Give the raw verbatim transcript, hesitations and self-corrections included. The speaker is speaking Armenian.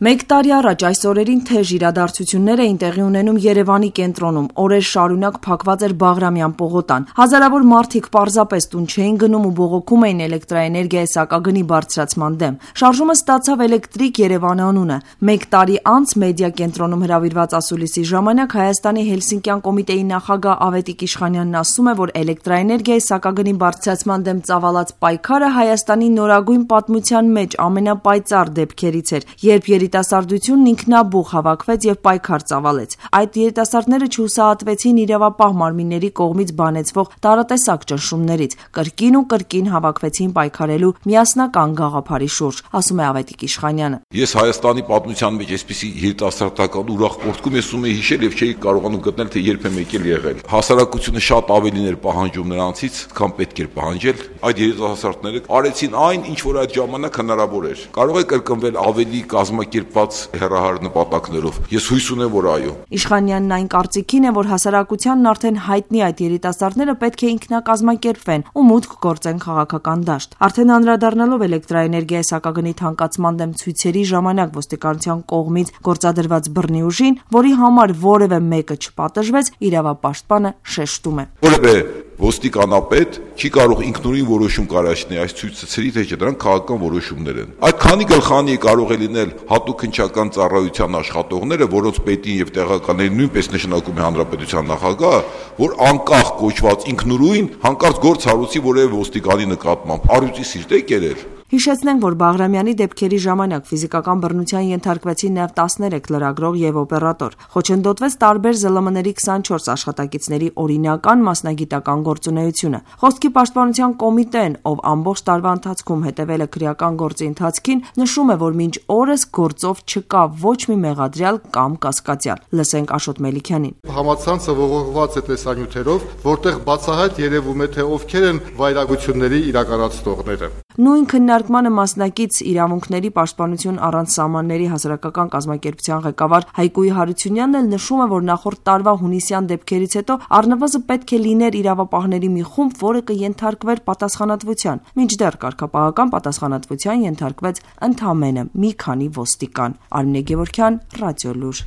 Մեկ տարի առաջ այս օրերին թեժ իրադարձություններ էին տեղի ունենում Երևանի կենտրոնում, օրեր շարունակ փակված էր Բաղրամյան պողոտան, հազարավոր մարդիկ պարզապես տուն չէին գնում ու բողոքում էին էլեկտրաէներգիայի սակագնի բարձրացման դեմ։ Շարժումը ստացավ Էլեկտրիկ Երևան անունը։ Մեկ տարի անց մեդիա կենտրոնում հրավիրված ասուլիսի ժամանակ Հայաստանի Հելսինկյան կոմիտեի նախագահ Ավետիք Իշխանյանն ասում է, որ էլեկտրաէներգիայի սակագնի բարձրացման դեմ ծավալած պայքարը Հայաստանի նորագույն պատմության մեջ ամենապայծառ դեպքերից էր, երբ երիտասարդությունն ինքնաբուխ հավաքվեց եւ պայքար ծավալեց։ Այդ երիտասարդները չհուսահատվեցին իրավապահ մարմինների կողմից բանեցվող տարատեսակ ճնշումներից, կրկին ու կրկին հավաքվեցին պայքարելու միասնական գաղափարի շուրջ, ասում է Ավետիք Իշխանյանը։ Ես Հայաստանի պատմության մեջ այսպիսի երիտասարդական ուրախ պորտկում ես ում էի հիշել եւ չէի կարողանում գտնել, թե երբ եմ եկել եղել։ Հասարակությունը շատ ավելին էր պահանջում նրանցից, քան պետք էր պահանջել։ Այդ երիտասարդները արեցին այն, ինչ որ այդ ժամանակ հնարավոր էր։ Կարող է կրկնվել ավելի կազմակերպված հեռահար նպատակներով։ Ես հույս ունեմ, որ այո։ Իշխանյանն այն կարծիքին է, որ հասարակությանն արդեն հայտնի այդ երիտասարդները պետք է ինքնակազմակերպվեն ու մուտք գործեն քաղաքական դաշտ։ Արդեն անդրադառնալով էլեկտրաէներգիայի սակագնի թանկացման դեմ ցույցերի ժամանակ ոստիկանության կողմից գործադրված բռնի ուժին, որի համար որևէ մեկը չպատժվեց, իրավապաշտպանը շեշտում է։ Որևէ ոստիկանապետ չի կարող ինքնուրույն որոշում կարողացնել այս ցույցերի, թե չէ դրանք քաղաքական որոշումներ են։ Այդ քանի գլխանի կարող է լինել հատուկ հնչական ծառայության աշխատողները, որոնց պետին եւ տեղականներին նույնպես նշանակում է հանրապետության նախագահը, որ անկախ կոչված ինքնուրույն հանկարծ գործ հարուցի որևէ ոստիկանի նկատմամբ, առյուծի սիրտ է կերել։ Հիշեցնենք, որ Բաղրամյանի դեպքերի ժամանակ ֆիզիկական բռնության ենթարկվեցին նաև տասներեք լրագրող եւ օպերատոր։ Խոչընդոտվեց տարբեր զլ մ-ների քսանչորս աշխատակիցների օրինական մասնագիտական գործունեությունը։ Խոսքի պաշտպանության կոմիտեն, ով ամբողջ տարվա ընթացքում հետևել է քրեական գործի ընթացքին, նշում է, որ մինչ օրս գործով չկա ոչ մի մեղադրյալ կամ կասկածյալ։ Լսենք Աշոտ Մելիքյանին։ Համացանցը ողողված է տեսանյութերով, որտեղ բացահայտ երևում է, թե ովքեր են վայրագությունների իրականացնողները։ Նույն քննարկմանը մասնակից իրավունքների պաշտպանություն առանց սահմանների հասարակական կազմակերպության ղեկավար Հայկուի Հարությունյանն էլ նշում է, որ նախորդ տարվա հունիսյան դեպքերից հետո առնվազն պետք է լիներ իրավապահների մի խումբ, որը կենթարկվեր պատասխանատվության, մինչդեռ կարգապահական պատասխանատվության ենթարկվեց ընդամենը մի քանի ոստիկան։ Արմինե Գևորգյան, Ռադիոլուր։